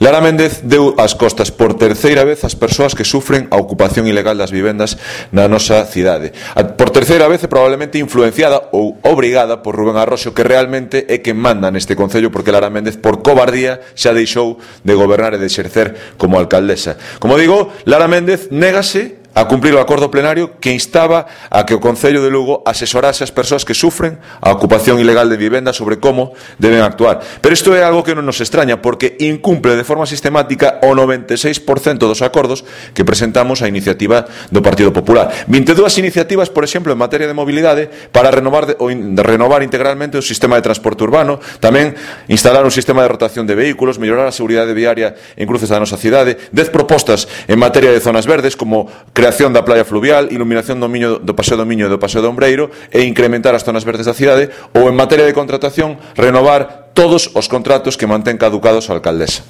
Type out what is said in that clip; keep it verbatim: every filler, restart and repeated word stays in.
Lara Méndez deu as costas por terceira vez ás persoas que sufren a ocupación ilegal das vivendas na nosa cidade. Por terceira vez e probablemente influenciada ou obrigada por Rubén Arroxo, que realmente é quen manda neste concello, porque Lara Méndez, por cobardía, xa deixou de gobernar e de exercer como alcaldesa. Como digo, Lara Méndez négase a cumprir o acordo plenario que instaba a que o Concello de Lugo asesorase as persoas que sufren a ocupación ilegal de vivenda sobre como deben actuar. Pero isto é algo que non nos extraña, porque incumple de forma sistemática o noventa e seis por cento dos acordos que presentamos a iniciativa do Partido Popular. vinte e dúas iniciativas, por exemplo, en materia de mobilidade para renovar, de, ou in, de renovar integralmente o sistema de transporte urbano, tamén instalar un sistema de rotación de vehículos, mellorar a seguridade viaria en cruces da nosa cidade, dez propostas en materia de zonas verdes, como creación creación da playa fluvial, iluminación do, miño, do Paseo do Miño e do Paseo do Ombreiro e incrementar as zonas verdes da cidade, ou en materia de contratación, renovar todos os contratos que mantén caducados a alcaldesa.